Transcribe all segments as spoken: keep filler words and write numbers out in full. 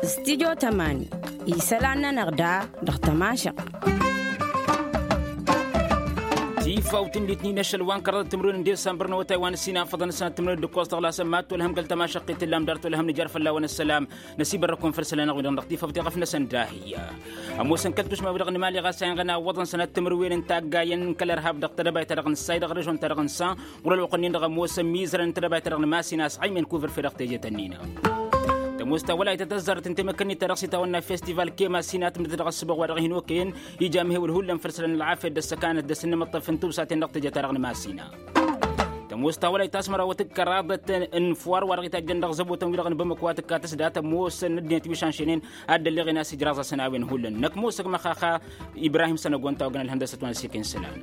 Stidyo tămani isălan-nănăɣ da dăɣ-tămašăɣt. Tifawt n-litnin ašăl wa n-kăraḍăt timǝrwen n-disambăr n-awătay wa n-ǝssin afăḍăn ǝssanăt timǝrwen d-ǝkkoẓ tăɣlasăn mad-tolhăm kăl-tămašăɣt i-tǝllam dar tolhăm nǝjar fălla-wăn ăssălam. Năsibărrăkun făll-isălan-năɣ-wi-dăɣ dăɣ-tifawt iɣăf-năsăn dahiy. Ămoosăn kăl-tušma-wi-dăɣ n-imali ɣas a inɣăn a iwwăḍăn sănat timǝrwen n-taggayen n-kăl-irhab dăɣ-tedăbayt-ta-dăɣ n-ǝssay dăɣ-režon-ta-dăɣ n-san ɣur-ălwăqq-nin-dăɣ ămoosăn imizărăn n-tedăbayt-ta-dăɣ n-masina s-aymen kuvǝrfe dăɣ-teje tănnin. Tămoos ta wălaytăt ăzzarăt n-temăkkănnit-ta-dăɣ s-itawănna festival kema s-hin-atmǝdăt dăɣ-ăssăbăɣ wa dăɣ-hin-okăyăn ija amhewăl hullan făll-isălan n-ălɣafyăt d-ăssăkanăt d-asǝnnǝmăṭṭăf n-tubsaten dăɣ-teje-ta-dăɣ n-masina. Tămoos ta wălayt asmăra wa tǝkkăraḍăt n-fuwar wa dăɣ-itajjăn dăɣ-zăbotăn-wi-dăɣ n-bamăko wa tǝkka tǝsda tămoosăn ăddinăt wi šanšăynen ad-dd-ălleɣen a-s ijraẓ-asăn a-wen hullan năkk mosăg măxaxa. Ibrahim sănăgon tawăgăn ălhăndăsăt wa n-ăssikăyăn isălan.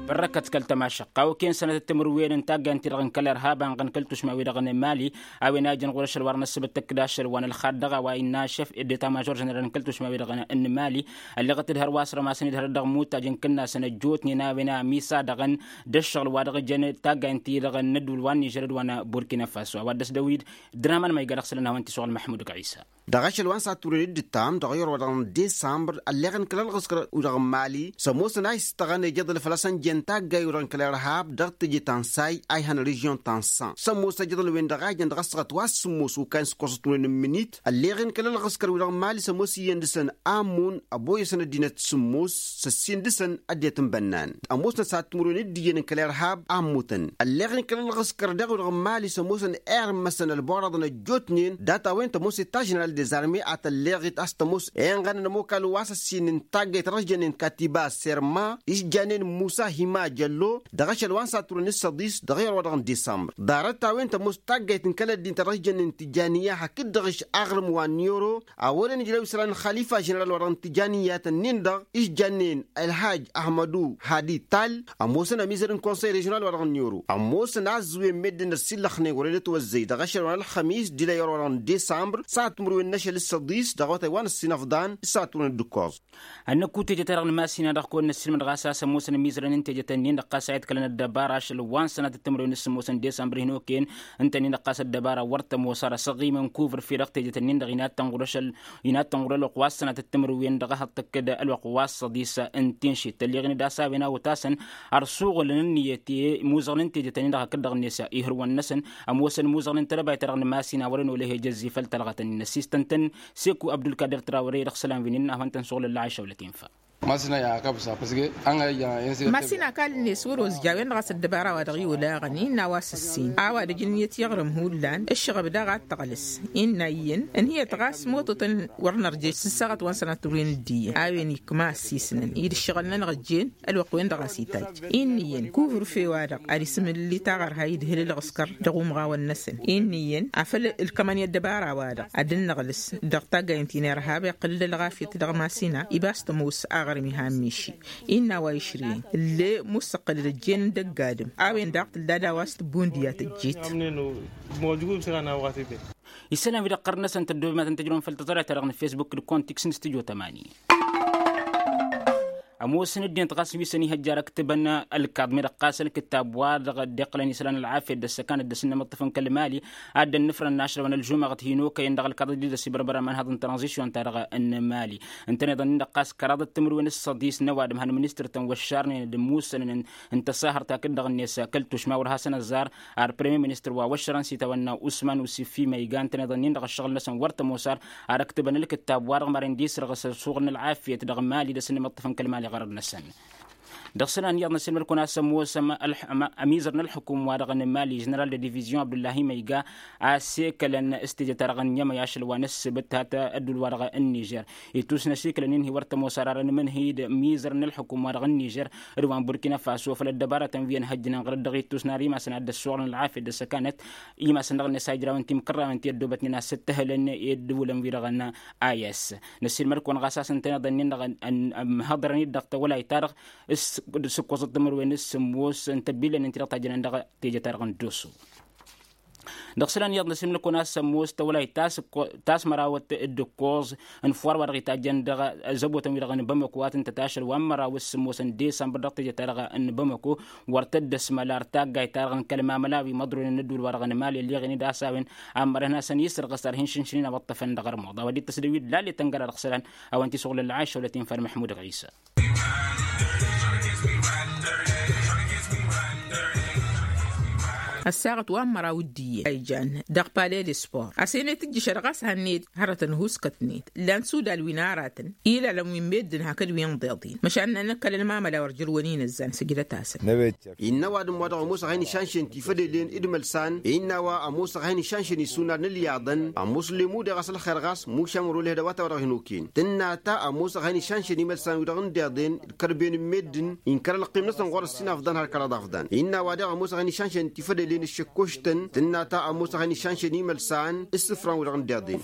Bărrăkăt kăl-tămašăqqa okăyăn sănătăt timǝrwen n-taggayăn-ti-dăɣ n-kăl-irhab anɣăn kăl-tušma-wi-dăɣ n-mali a-wen a ijăn ɣur-ašăl wa dăɣ-năssăbăt tăkk d-ašăl wa n-ălxadd dăɣ-a-wa innă šef eddet a mažor ženeral n-kăl-tušma-wi-dăɣ n-mali. Ălleɣăt d-hărwa s-rămasăn-dd hărăt dăɣ-imutajăn kǝnnasăn ăjjootnen a-wen a misa-dăɣ-n d-ăššăɣǝl wa dăɣ-ijăn taggayăn-ti-dăɣ n-ăddul wa n-nižer d-wa n-burkina faso a-wa dd-ăsdăwid. Draman ma iga dăɣ-isălan hawăn-t-isuɣǝl măḥmud gɣisa. Dăɣ-ašăl wa n-saturăn dd-ǝttam dăɣ-iwrăwăḍăɣ n-disambr ălleɣăn kăl-ălɣǝskăr-wi-dăɣ n-mali s-ămoosăn a istăɣăn ejăḍăl făl-a-s ănjăn taggayen-wi-dăɣ n-kăl-irhab dăɣ-teje ta n-say a ihăn režion ta n-san s-ămoos ejăḍăl-wen-dăɣ a ijăn dăɣ-ăssaɣăt wa s-sǝmmos okayăn s-ǝkkoẓăt timǝrwen n-imǝnit. Ălleɣen kăl-ălɣǝskăr-wi-dăɣ n-mali s-ămoos iyyăn dăɣ-săn amun ăboyăsăn ăddinăt sǝmmos s-ăssin dăɣ-săn ăddinăt n-bănnan ămoosnăt s-ad-timǝrwen d-iyyăn n-kăl-irhab a ămmutăn. Ălleɣen kăl-ălɣǝskăr daɣ-wi-dăɣ n-mali s-ămoosăn irmăsăn ălboraḍăn ăjjootnen data-wen tămoos eta ženeral dezarme a tălleɣit a-s tămoos inɣănăn ămokal wa s-ăssin n-taggayt ta dăɣ-s jănnen katiba serma s-jannen musa hima jăllo dăɣ-ašăl wa n-saturăn d-săḍis dăɣ-iɣăr wa dăɣ-n disambr. Ḍarăt-a-wen tămoos taggayt n-kăl-ăddin ta dăɣ-s jănnen tijaniya hakd-dăɣ-š aɣrǝm wa n-ioro a wăren ijlăw isălan n-xalifa ženeral wa dăɣ-n tijaniya-tăn-in-dăɣ s-jannen ălhaj ahmădu hadi tal. Ămoosăn ămizăr n-konsăy režional wa dăɣ-n ioro ămoosăn a ǝzzǝwen meddǝn ăssiillăxnen wăren ătwăzzăy dăɣ-ašăl wa n-ălxămis d-ila i-orăwăḍăɣ n-disambr s-ad-timǝrwen n-ašăl s-săḍis dăɣ-awătay wa n-ăssinăfḍan s-ad-timǝrwen d-ǝkkoẓ. Ad-năkku teje-ta-dăɣ n-masina dăɣ-kăwăn-năssiilmăd ɣas a-s ămoosăn ămizărăn n-teje-tăn-in-dăɣ ɣas a iḍkălăn ăddăbara ašăl wa n-sănatăt timǝrwen s-sǝmmos n-disambr hin-okăyăn ǝnta-nin-dăɣ ɣas ăddăbara wăr tămoos ar asăɣimăn kuvǝrfe dăɣ-teje-tăn-in-dăɣ inattăn ɣur-ăšăl inattăn ɣur-ălwăqq wa s-sănatăt timǝrwen dăɣ-ehăḍ tăkk-dd ălwăqq wa s-săḍis n-tinšit tălleɣen-dd a-s a-wen a otasăn ărsuɣǝlăn ǝnniyăt i-imuzăɣăn n-teje-tăn-in-dăɣ hakd-dăɣ-net ihǝrwăn-năsăn. Ămoosăn imuzăɣăn n-tedăbayt-ta-dăɣ n-masina wăren olăh ejăzzi făll-talɣa-tăn-in ăssistăn-tăn seku abdulkadir trawăre dăɣ-isălan wi n-innă a hawăn-tăn-suɣǝl ălla ašăwlăt infa. Masina i-akal-net wăr-ozǝj a-wen-dăɣ a-s ăddăbara wa dăɣ-i olaɣăn innă a-wa s-ǝssin a-wa d-ǝjǝnnǝyăt i-aɣrǝm hullan ǝššăɣăb daɣ ad-tăɣlǝs. Innă iyyăn ǝnhǝyăt ɣas mototăn wăr nărjăj s-ǝssaɣăt wa n-sănatăr wi n-ǝddiyăn a-wen ikma ăssiisnăn i-dd-ǝššăɣǝl-nănăɣ ǝjjen ălwăqq-wen-dăɣ a-s itajj. Innă iyyăn kuvǝrfe-wa-dăɣ ad-isǝmǝlǝllit aɣărhay d-hǝl ǝlɣǝskăr dăɣ-umɣawăn-năsăn. Innă iyyăn afăl ǝlkămăn i-ăddăbara-wa-dăɣ ad-dd-năɣlǝs dăɣ-taggayǝn ti n-irhab iqqǝl-dd ălɣafyăt dăɣ-masina. I-bass tămoos aɣrǝm iha n-miši innă a-wa išrǝyăn ǝlle mussăqqǝl-dd ăjjeen n-dăgg-adǝm. A-wen daɣ tǝlla d-a-wa s-tǝbbu n-diya tăjjeet. Isălan wi-dăɣ ɣărăn-năsăn tăddoobem ad-tăn-tăjrăwăm făll-tăẓrayt-ta-dăɣ n-facebook d-kontiks n-studyo tămani. Ămoosăn ăddinăt ɣas wi săn ihăjjar ǝktǝbăn ălkaḍ mi-dăɣ ɣas ălkǝttab wa dăɣ-dd-iqqălăn isălan ălɣafyăt d-ăssăkanăt d-asǝnnămăṭṭăf n-kăl-mali ad-dd-ănnǝfrăn n-ašrăwăn ălžumăɣăt hin-okăyăn dăɣ-ălkaḍ dd-ăsibărbăr ămanhăḍ n-tranzisyon-ta-dăɣ n-mali. Ǝntăneḍ-ǝnnin-dăɣ ɣas kăraḍăt timǝrwen s-săḍis n-ăwadǝm han ministăr-tăn wăššarnen d-imussănăn n-tăsahărt hakd-dăɣ-net kăl-tušma wăr hasăn-ăzzar. Ar premier ministăr wa wăššărăn s-itawănna usman usifi ma iga ǝntăneḍ-ǝnnin-dăɣ ǝššăɣǝl-năsăn wăr tămoos ar ad-ăktǝbăn ălkǝttab wa dăɣ-maren d-isrăɣ s-ăsuɣǝl n-ălɣafyăt dăɣ-mali d-asǝnnămăṭṭăf n-kăl-mali ɣărăd-năsăn. Dăɣ-isălan iyyăḍ năssiilmăd-kăwăn a-s ămoosăm ălḥ- ămizăr n-ălḥukum-wa-dăɣ n-mali ženeral de divizion abdullahi ma iga a-s ekălăn s-teje-ta-dăɣ n-yămăy ašăl wa n-ǝssǝbǝt hat ăddul-wa-dăɣ n-nižer. Ittus n-ašikǝlăn-in hi-wăr tămoos ar arăn imǝnhǝy d-mizăr n-ălḥukum-wa-dăɣ n-nižer d-wa n-burkina faso făll-ăddăbarătăn wi ănhăjjǝnen ɣur-dd dăɣ-ittus n-ar imasăn ad-dd-ăssuɣǝlăn ălɣafyăt d-ăssăkanăt. Imasăn-dăɣ n-ănnes a ijrawăn timkărrawăn ti ăddoobătnen a-s ǝttăhălăn i-ăddǝwǝlăn-wi-dăɣ n-a i s năssiilmăd-kăwăn ɣas a-s ǝntăneḍ-ǝnnin-dăɣ ămhăḍărăn-dd dăɣ-tawălayt-ta-dăɣ s-ǝkkoẓăt timǝrwen s-sǝmmos n-tăbbilăn-in-ti-dăɣ tajjănen dăɣ-teje-ta-dăɣ n-doso. Dăɣ-isălan iyyăḍ n-asǝlmǝl kăwăn-asămmos tawălayt tas-mărawăt d-ǝkkoẓ n-ifuwar wa dăɣ-itajjăn dăɣ-zăbotăn-wi-dăɣ n-bamăko a tǝntăt ašăl wa n-măraw s-sǝmmos n-disămbăr dăɣ-teje-ta-dăɣ n-bamăko. Wăr tăddăsmăl ar taggayt-ta-dăɣ n-kăl-mamăla wi măḍronen n-ădduul-wa-dăɣ n-mali ălleɣen-dd a-s a-wen. Ammărăn hasăn-isărɣǝs ar hin-šǝnšǝnen a wăṭṭăfăn dăɣ-ărmuḍ a-wa dd-tăsdăwit lallet ăngăra dăɣ-isălan. A-wen tisuɣlăl lăɣašăwlăt infa ălmăḥmud ɣisa. Ăssaɣăt wa n-măraw d-iyyăn a ijan dăɣ-pale de sport a-s enăy tǝjjǝšăd ɣas hanned hărătăn huskătnet. Lan sudal wi n-aratăn ilalăn wi n-meddǝn hakd wi n-iḍeḍen măšan n-anăkkăl ălmamăla wăr jărwăn inăzzan sǝjdăt-asăn. Innă ăwadǝm wa dăɣ-ămoosăɣ a hin-išanšen tifădelen d-imălsan innă a-wa ămoosăɣ a hin-išanšen isunad n-ǝlyaḍăn. Ămoos lemmu deɣ a-s ălxer ɣas mušam ăro lehda wa ta wa dăɣ-hin-oken tǝnna ta ămoosăɣ a hin-išanšen imălsan wi dăɣ-n deḍen d-kărben n-meddǝn. Inkăr ălqim-năsăn ɣur-ăssin afḍăn har kăraḍ afḍăn innă a-wa deɣ ămoosăɣ a hin-išanšen tifădelen d-iššăkkoštăn. Tǝnna ta ămoosăɣ a hin-išanšen imălsan s-isǝfran wi dăɣ-n deḍen.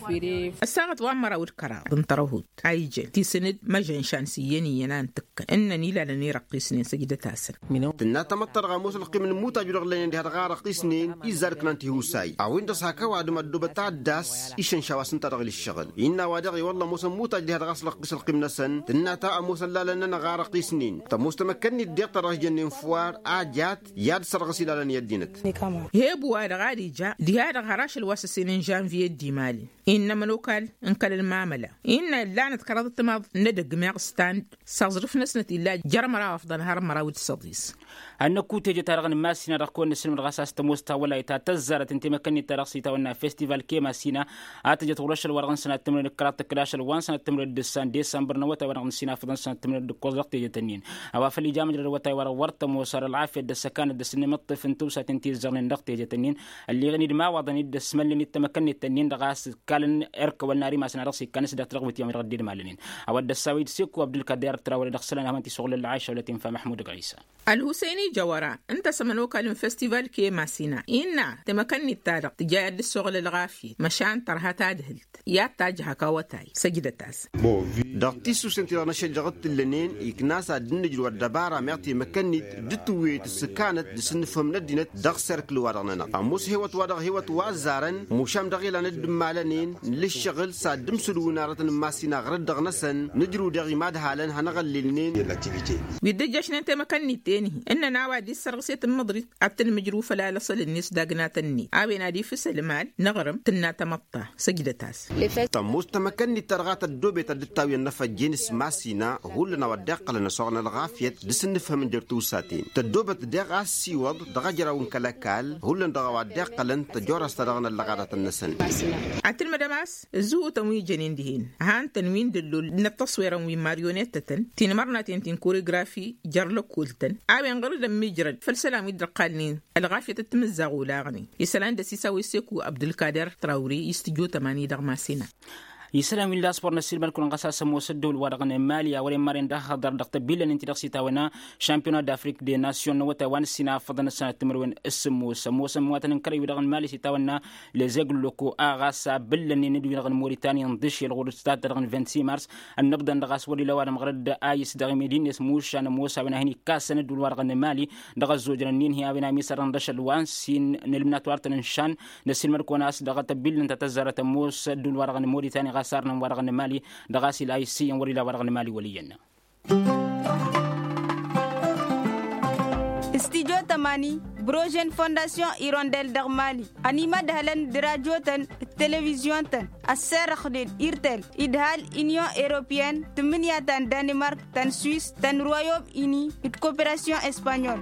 Ăssaɣăt wa n-măraw d-kăraḍ n-tărăhut a ijăn tisǝn-dd măžănšan s-iyyăn iyyăn a ǝntǝkkăn ǝnnăn ilalăn irăqqisnen săjdăt-asăn. Tǝnna tamăḍt ta dăɣ-ămoos ălqim n-imuttaj wi-dăɣ lănen diha-dăɣ a răqqisnen izzar ǝknan tihusay a-wen dăɣ-s hak ăwadǝm ăddoobăt ad-dd-ass išănša wa s-ǝnta dăɣ-ila ǝššăɣǝl. Innă a-wa daɣ i-wălla ămoosăn imuttaj diha-dăɣ a-s răqqis ălqim-năsăn tǝnna ta ămoosăn lalăn-nănăɣ a răqqisnen. Tămoos tamăkkănnit deɣ ta dăɣ-s jănnen fwar a jat i-ad-sărɣǝs ilalăn i-ăddinăt. Heb wa-dăɣ ad-ija diha-dăɣ har ašăl wa s-ăssin n-žănviye d-imalin innă ămănokal n-kăl-ălmamăla innă ǝllanăt kăraḍ timaḍ n-edăgg meɣ stand s-aẓrǝf-năsnăt illa jer-măraw afḍăn har măraw d-săḍis. Ad-năkku teje-ta-dăɣ n-masina dăɣ-kăwăn-nǝsǝlmǝd ɣas a-s tămoos tawălayt ta tăzzarăt n-temăkkănnit-ta-dăɣ s-itawănna festival kema sina a tǝjăt ɣur-ašăl wa dăɣ-n sănat timǝrwen d-kăraḍ tǝkkǝd ašăl wa n-sănat timǝrwen d-ǝssan desambăr n-awătay wa dăɣ-nǝssin afǝḍăn sănat timǝrwen d-ǝkkoẓ dăɣ-tejet-ǝnnin. A-wa făl ija măjrăd awătay wa dăɣ-wăr tămoos ar ălɣafyăt d-ăssăkanăt d-asǝnnǝmǝṭṭǝf n-tǝwsaten ti ǝzzăɣnen dăɣ-tejet-ǝnnin. Ălleɣăn-dd imawaḍăn-dd ăsmălnen d-temăkkănnit-ǝnnin-dăɣ a-s ǝkkalăn erkăwăl n-ar imasăn a dăɣ-s ikkan s-dd-ătrăɣwǝt i-amăjrăd d-idmalănen. A-wa dd-ăssawăy d-seko abdulkader trawăle dăɣ-isălan a hawăn-t-isuɣǝl ălɣašăwlăt infa măḥmud ɣisa. Ălhusăyni jăwăra ǝnta s-ămănokal n-festival kemasina innă temăkănnit-ta-dăɣ tǝja i-ad-dd-ăssoɣǝl ălɣafyăt măšan tărha tadhǝlt i-ad-tajj hak awătay. Săjdăt-as. Dăɣ-tisusen-ti-dăɣ n-ašăl dăɣ-t-tǝllănen ikna-s ad-dd-nǝjrǝw ăddăbara meɣ temăkănnit d-tǝwwet s-ǝkkanăt d-asǝnnǝfhǝm n-ăddinăt dăɣ-serkǝl-wa-dăɣ-nănăɣ ămoos hewăt-wa-dăɣ hewăt wa ăzzarăn mušam dăɣ-ilan dd-ǝmmalănen. Nǝlǝššăɣǝl s-ad-dd-ǝmsǝdǝwǝn arătăn n-imass-in aɣrǝd dăɣ-năsăn nǝjrǝw daɣ imadhalăn hanăɣ-ăllilnen. Wi dd-ǝjjăšnen temăkănnit-en-hi ǝnnăn a-wa dd-issărɣǝset n-măḍrit ad-tǝnmǝjrǝw făll-alăṣăl-net dagna tănnet a-wen ad-ifǝs ălmal n-aɣrǝm tǝnna tamăḍt. Săjdăt-as. Tămoos tamăkănnit-ta-dăɣ a tăddoobet ad-dd-tawǝyăn inăfăjjen s-imass-in hullan a-wa dd-iqqălăn ăsoɣăn ălɣafyăt d-asǝnnǝfhǝmăn jer-tiwsaten tăddoobet daɣ a ăssiwăḍ dăɣ-ajraw n-kăl-ăkall hullan dăɣ-a-wa dd-iqqălăn tăjorăs-ta-dăɣ n-ăllăɣadatăn-năsăn. Ad-tǝlmădăm a-s ǝzzǝhutăn wi jănen dihen ăhantăn wi n-dăllol n-ăṭṭăṣwirăn wi n-maryonetătăn tinmărnaten ti n-koregrafi jer-lăkkoltăn a-wen ɣur-dd ămmiijrăd făll-isălan wi dd-ăqqalnen ălɣafyăt d-timǝzzaɣ olaɣnen. Isălan d-ăsisawăy seko abdulkader trawre i-s tǝjjo tămani dăɣ-masina. Isălan wi n-laspor n-ăssiilmăd-kăwăn ɣas a-s ămoos ăddool-wa-dăɣ n-mali a wăren maren dăɣ-haḍăr dăɣ-tăbillănen ti-dăɣ s-itawănna šampiyona d-afrik de nasyon n-awătay wa n-ăssinafăḍăn ăssanăt timǝrwen s-sǝmmos ămoosăn iwatăn n-kărăy wi-dăɣ n-mali s-itawănna lezeg n-loko a ɣas a bǝllănen d-wi-dăɣ n-moritani n-dăšel ɣur-ǝstat-ta-dăɣ n-vint-six mars. Ănnăbḍăn-dăɣ a-s wăr-ila ăwadǝm ɣărăd a isdăɣ i-medines mušan ămoos a-wen a hin-ikkassăn ăddool-wa-dăɣ n-mali dăɣ-ăzzojăn ǝnnin-hi a-wen a misărăn d-ašăl wa n-sin n-ǝlmǝnat wa dăr-tăn-ǝnšan. Năssiilmăd-kăwăn a-s dăɣ-tăbillăn ta tăzzarăt ămoos ăddool-wa-dăɣ n-moritani ɣas arnăn-wa-dăɣ n-mali dăɣ-a-s ila issǝyyăn wăr-ila wa-dăɣ n-mali wăl' iyyăn. Studyo tămani, brožen fondasyon irondel dăɣ-mali ănimădhălăn d-radyo-tăn d-televizyon-tăn ăssărăxnen irtel idhal inyon europeyăn tǝmmǝnǝya ta n-danimark ta n-swiss ta n-royom ini d-koperasyon espanyol.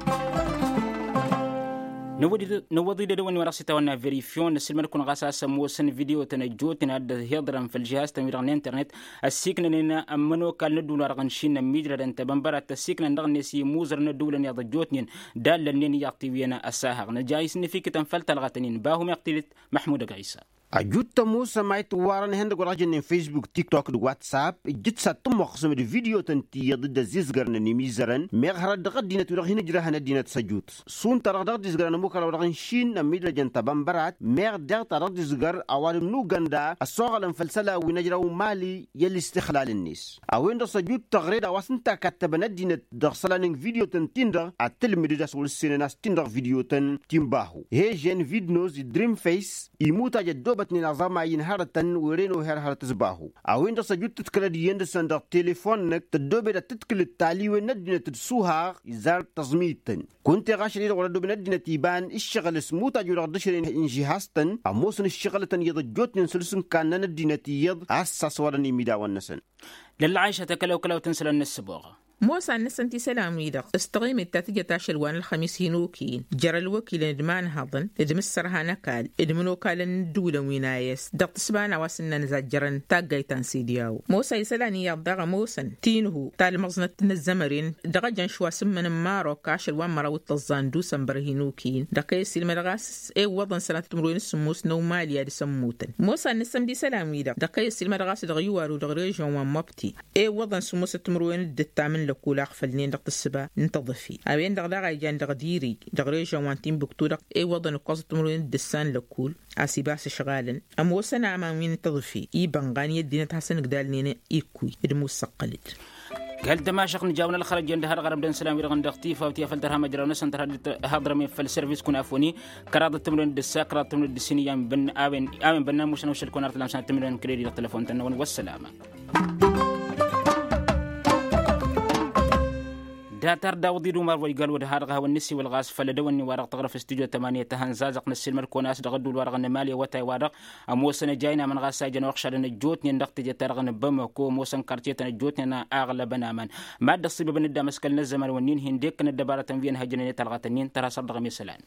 Năwwăḍ-i d-edăwăn-i wa dăɣ-s itawănna verifyon năssiilmăd-kăwăn ɣas a-s ămoosăn video-tăn ăjjootnen ad-dd-hiḍărăn făll-žihaz-tăn wi-dăɣ n-internet ăssiiknănen ămmănokal n-ădduul-wa-dăɣ n-išin n-ămmiijrădăn tebănbărat ăssiiknăn dăɣ-net i-imuzărăn n-ădduulăn iyyăḍ ăjjootnen d-allălnen iyyăḍ tiwǝyăn ăsahăɣ năja isǝnnǝfikǝtăn făll-talɣa-tăn-in bahu meɣ tidǝt. Măḥmud ăgg-ɣisa. Ăjut tămoosăm a itǝwwarăn ihăndăgg wa dăɣ-jănnen facebook tiktok d-whatsapp ǝjjǝt s-ad-tǝmmăɣsăm d-vidyotăn ti iyyăḍ dd-ăzzizgărnăn imizărăn meɣ hărăt dăɣ-ăddinăt wi-dăɣ hin-ǝjrăhăn ăddinăt s-ăjut. Šund ta dăɣ-dăɣ d-izgărăn ămukăraw dăɣ-inšin n-ămmidrajăn tăbănbărat meɣ deɣ ta dăɣ-d-izgăr ăwadǝm n-ugănda ăssoɣălăn făll-isălan wi n-ăjraw mali i-ălistixlal-net. A-wen-dăɣ s-ăjut tăɣre d-a-wa s-ǝnta kattăbăn ăddinăt dăɣ-isălan n-vidyotăn-tin-dăɣ ad-tǝlmǝdǝd a-s wăr-ǝssenăn a-s tin-dăɣ vidyotăn ti n-bahu hežen vidnos d-dream face. Imutaj ăddoobătnen aẓamay n-hărătăn were n-oher hărăt s-bahu. A-wen-dăɣ s-ăjut tǝdkǝlăd iyyăn dăɣ-săn dăɣ-telefon-năk tăddoobed ad-tǝdkǝlăd taliwen n-ăddinăt d-suhaɣ izar tăẓmit-tăn. Kunta iɣašăl-i-dăɣ wăr-ăddooben ăddinăt iba n-ǝššăɣǝl s-imutaj-wi-dăɣ dd-ǝšrăyăn inžihastăn ămoosăn ǝššăɣǝlătăn iyyăḍ ăjjootnen săr-s n-kannăn ăddinăt iyyăḍ a-s saswăḍăn imidawăn-năsăn. Lălla ɣayšăt akălăw-kălăw tǝnsălăn n-ǝssǝboɣ. Mosa n-năsăn tisălan-wi-dăɣ s-taɣimit ta tǝjăt ašăl wa n-ălxămis hin-okăyăn jer-ălwăkilăn d-imanhăḍăn d-imǝssărha n-ăkall d-imǝnokalăn n-ǝddǝwǝlăn wi n-a e s dăɣ-tǝsba n-a-wa s-ǝnnan ǝzajjărăn taggayt ta n-sediyawo. Mosa isălan iyyăḍ daɣ ămoosăn tinǝhu ta ălmăẓnăt n-ăzzămăren dăɣ-ejăn šwa s-ǝmmăn n-marok ašăl wa n-măraw d-tăẓẓa n-dusănbăr hin-okăyăn dăɣ-kăy-ăssiilmădăɣ a-s ewwăḍăn sănatăt timǝrwen s-sǝmmos n-ăwmali ad-isămmutăn. Mosa n-năsăn d-isălan-wi-dăɣ dăɣ-kăy-ăssiilmădăɣ a-s dăɣ-iwaru dăɣ-režon wa n-măbti ewwăḍăn sǝmmosăt timǝrwen d-ǝttam n-lăkkul a ăɣfălnen dăɣ-tǝssǝba n-tăḍǝfi. A-wen-dăɣ daɣ a ijan dăɣ-dirij dăɣ-režon wa n-timbuktu-dăɣ ewwăḍăn ǝkkoẓăt timǝrwen d-ǝssa n-lăkkul a-s ibas ǝšɣalăn ămoosăn aman wi n-tăḍǝfi ibănɣan i-ăddinăt hasăn-ǝgdalnen ikkuy d-mussăqqălăt. Kăl-tămašăɣt n-ijawăn ălxărăjăn d-ha-dăɣ ărămdăn isălan-wi-dăɣ n-dăɣ tifaw ti afăl tărha-măjraw-năsăn tărha d-haḍrămen făll-sărvis kunafoni kăraḍăt timǝrwen d-ǝssa kăraḍăt timǝrwen d-ǝssin i-a-wen bănna mušan ušăl kăwăn-arăt ălamsăn timǝrwen kăl-edi dăɣ-telăfon-tăn-năwăn wăssălama. Dat-ard awǝḍ-dd umar wa igal wăr-dăɣ ha-dăɣ hawăn-nǝssiwăl ɣas făll-ădăwănnin-wa-dăɣ tăɣrăf s-tijot tămanyăt tăhănzazăɣt n-ăssiilmăd-kăwăn a-s dăɣ-ădduul-wa-dăɣ n-emali awătay-wa-dăɣ ămoosăn ăjayna măn ɣas a ijăn uxšadăn ăjjootnen dăɣ-teje-ta-dăɣ n-bamăko ămoosăn karcetăn ăjjootnen a ăɣlăbăn aman. Mad-dd-ăṣṣibăbăn-dd amăskăl n-ăzzăman wǝnnin hin-dekkăn ăddăbarătăn wi ănhăjjănen i-talɣatăn-in tărha săr-dăɣ ămesălan.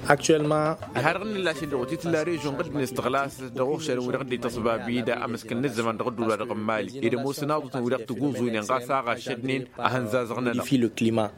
Aktuellement. Dăɣ-ha-dăɣ n-nǝllašăl dăɣ-otitǝlla režon ɣǝddǝn s-tăɣlasăt dăɣ-uɣšadăn wi-dăɣ dd-ităṣbab-dd amăskăl n-ăzzăman dăɣ-ădduul-wa-dăɣ n-mali ed ămoosăn aḍutăn wi-dăɣ tǝguzuynen ɣas a ɣašădnen. Ahăn zazăɣnăn.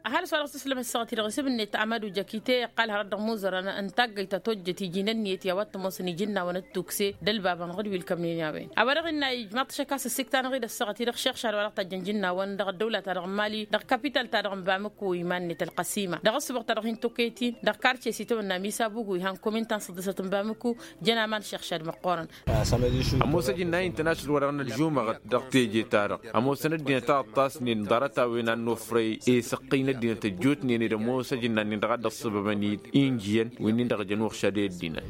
Ăhalǝs wa dăɣ-s tǝslăm ăssaɣăt-i-dăɣ isǝbnet amadu jăkite iqqal hărăt dăɣ-imuzărăn n-taggăyt ta tojjăt iji n-ǝnniyăt i-a-wa t-ămoosăn ijǝnnawăn d-tukse d-ălbabăn ɣǝd wi ǝlkămnen a-wen. A-wa dăɣ-innă ijmaḍ-t ašăk a-s ǝssikta-năɣ-dd ăssaɣăt-i-dăɣ šixšad wa dăɣ-tajjăn ijǝnnawăn dăɣ-ăddăwla-ta-dăɣ n-mali dăɣ-kapital-ta-dăɣ n-bamǝku iman-net ălqăsima dăɣ-ăssǝboɣ-ta-dăɣ hin-tokăyăt-in dăɣ-karce s-itawănna misa bugu ihan komin ta n-săḍǝsăt n-bamǝku. Jăn aman šixšad măqqoorăn. Ămoos ajǝnna-i n-tănašăl wa dăɣ-nălžumăɣăt dăɣ-teje-ta-dăɣ ămoosăn ăddinăt a ǝṭṭasnen ḍarăt-a-wen a n-nofrăy i-săqqăy n-ăddinăt ăjjootnen-dd ămoos ajǝnna-nin-dăɣ a dd-ăṣṣăbăbăn-dd injǝyăn wi-nin-dăɣ jăn uɣšad i-ăddinăt.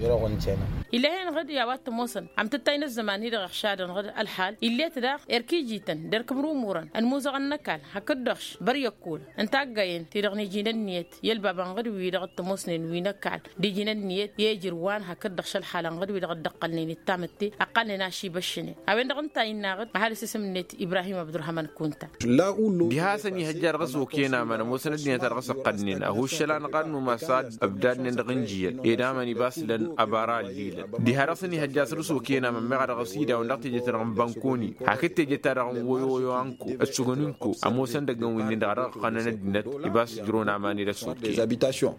Ill'-e-hen ɣǝd i-a-wa t-ămoosăn amtǝttay n-ăzzăman-hi-dăɣ iɣšadăn ɣǝd ălxal ill'-et daɣ erk ijităn d-erk ǝmrumurăn ănmuzăɣăn n-ăkall hakd-dăɣ-š băr i-ăkkulăn n-taggayen-ti-dăɣ n-iji n-ǝnniyăt i-ălbabăn ɣǝd-wi-dăɣ t-ămoosnen wi n-ăkall d-iji n-ǝnniyăt i-ejrǝwăn hakd-dăɣ šălxalăn ɣǝd-wi-dăɣ dd-ăqqălnen d-tamǝtte ăqqalnen ašibăššnen. A-wen-dăɣ ǝnta a innă ɣǝd ăhalǝs isǝm-net ibrahim abdurrăhman kunta. Diha-s ănihăjja dăɣ-s okăyăn aman ămoosăn ăddinăt a dăɣ-s ăqqădnen ăhuššăl-anăɣ a ănnumas a dd-ăbdadnen dăɣ-injǝyăn ed aman ibas lăn ăbara ăllilăn. Diha dăɣ-s ănihăjja săr-s okăyăn aman meɣ a dăɣ-s idawăn dăɣ-teje-ta-dăɣ n-bănkoni hakd teje-ta-dăɣ n-woyoyo anko d-sugănunko ămoosăn dăgg-ǝnwǝnnin-dăɣ a dăɣ-ăqqănăn ăddinăt ibas ǝjrăwăn aman-ed ăssokăyăn.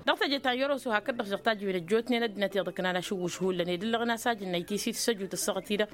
Dăɣ-teje ta n-yăroso hakd-dăɣ-š dăɣ-tajǝwen ăjjootnen ăddinăt iyyăḍ ǝknan ašǝwwǝš hullan ed ǝllăɣăn a-s ajǝnna itisi tǝssăjut ăssaɣăt-i-dăɣ.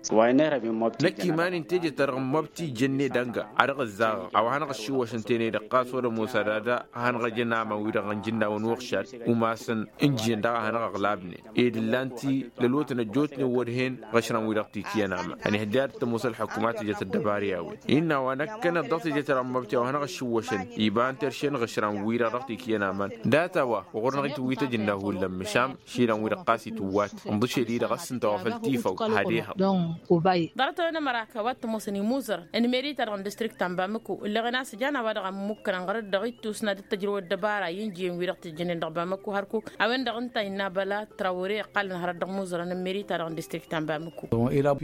Năkk iman-in teje-ta-dăɣ n-măbti jănne dănga a dăɣ-ǝzzaɣăɣ a-wa hanăɣ-ăššiwwăšăn tenăy-dăɣ ɣas wăr-ămoos ad-ad-hanăɣ-ăjăn aman-wi-dăɣ ănjǝnnawăn uɣšad umasăn ǝnjǝyăn daɣ a hanăɣ-ăɣlabnen ed ǝllan-t lălotăn ăjjootnen wăr hen ɣăšran-wi-dăɣ tikǝyăn aman ănihăjja ad-tămoos ălḥukuma tǝjăt ăddăbara i-a-wen. Innă a-wa năkkăneḍ dăɣ-teje-ta-dăɣ n-măbti a-wa hanăɣ-ăššiwwăšăn iba n-terše n-iɣǝšran-wi-dăɣ dăɣ-tikǝyăn aman. Dat-a-wa ɣur-năɣ itǝwwit ăjǝnna hullan măšan išilan-wi-dăɣ ɣas itǝwwat ǝnḍǝšel-i-dăɣ ăssintăwăfăl tifaw. Had-ehăḍ. Ḍarăt-a-wen ămăra kăwad t-ămoosăn imuzărăn n-meri-ta-dăɣ n-distrikt ta n-bamăko ǝlleɣen a-s ǝjan a-wa-dăɣ a ǝmmǝkkănăn ɣărăt dăɣ-ittus n-ad-dd-tăjrăw ăddăbara i-ǝnjǝyăn-wi-dăɣ tǝjjănen dăɣ-bamăko hărkuk. A-wen-dăɣ ǝnta a innă băla trawăre ăqqalăn hărăt dăɣ-imuzărăn n-meri-ta-dăɣ n-distrikt ta n-bamăko.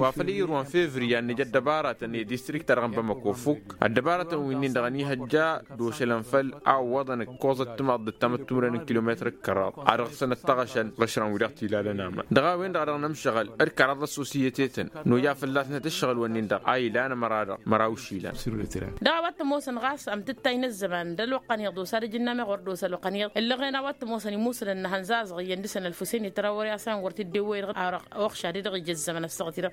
Wa făl i-irwan fevriye ad-nǝj ăddăbaratăn i-distrikt-ta-dăɣ n-bamăko fukk ăddăbaratăn wi-nin-dăɣ ănihăjja d-ošălăn făll-a ǝwwăḍăn ǝkkoẓăt timaḍ d-ăttamăt timǝrwen n-kilometăr d-kăraḍ a dăɣ-săn. N-ăttăɣăšăn ɣǝšrăn wi-dăɣ t-ilalăn aman dăɣ-a-wen-dăɣ a dăɣ-nǝmšăɣăl d-kăraḍ d-ăssosiyătetăn n-oja fălla-snăt ǝššăɣǝl-wăn-in-dăɣ a ilan ămăra-dăɣ măraw išilan. Dăɣ-a-wa t-ămoosăn ɣas ămtǝttay n-ăzzăman d-ălwăqq ăniḍ d-osa d-ajǝnna meɣ wăr d-osa ălwăqq ăniḍ ǝllăɣen a-wa t-ămoosăn imusǝlăn n-ehăn zaẓăɣ iyyăn dăɣ-săn ălfusen i-tărawăr i-asăn wăr t-dd-ewwăy dăɣ-arăɣ oxša d-edăɣ ija ăzzăman ăssaɣăt-i-dăɣ.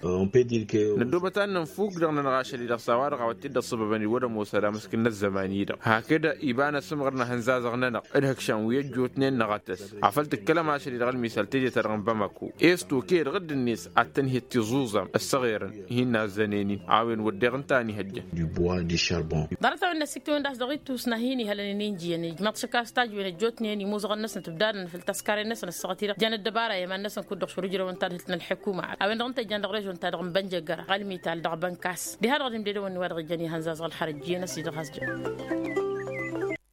Năddoobăt ad-nǝnfuk dăɣ-nănăɣ ašăl-i-dăɣ s-a-wa-dăɣ a-wa t-dd-ăṣṣăbăbăn iwwăd ămoos ad-amǝsk n-ăzzăman-i-dăɣ hakd iba n-asǝmɣăr n-ehăn zaẓăɣ-nănăɣ d-ihǝkšan wi ăjjootnen n-aɣătăs afăl tǝkkălăm ašăl-i-dăɣ ălmisal teje-ta-dăɣ n-bamako. Esto ked ɣǝdd-net ad-tăn-hi-ăttiẓuẓam ăssăɣerăn hin-nazzănen-in a-wen wădden ǝnta a n-ihăjjăn. Ḍarăt-a-wen n-ăssiktǝwăn d-a-s dăɣ-ittus n-ad-hin-ihălăn ăninjǝyăn ijmăḍ šăkka s-tajǝwen ăjjootnen imuzăɣăn-năsăn tǝbdadăn făll-taskaren-năsăn ăssaɣăt-i-dăɣ jan ăddăbara i-iman-năsăn kud-dăɣ šurǝjrăwăn ta dăɣ-hǝlt n-ălḥǝkuma. A-wen-dăɣ ǝnta ijjan dăɣ-ănbănjăggăra ɣălmital dăɣ-bănkas diha-dăɣ d-imdedăwăn-ni wa dăɣ-ijjăn ihănzazăɣ ălxărăt ǝjjǝyăn-ăssi dăɣ-has-jăn.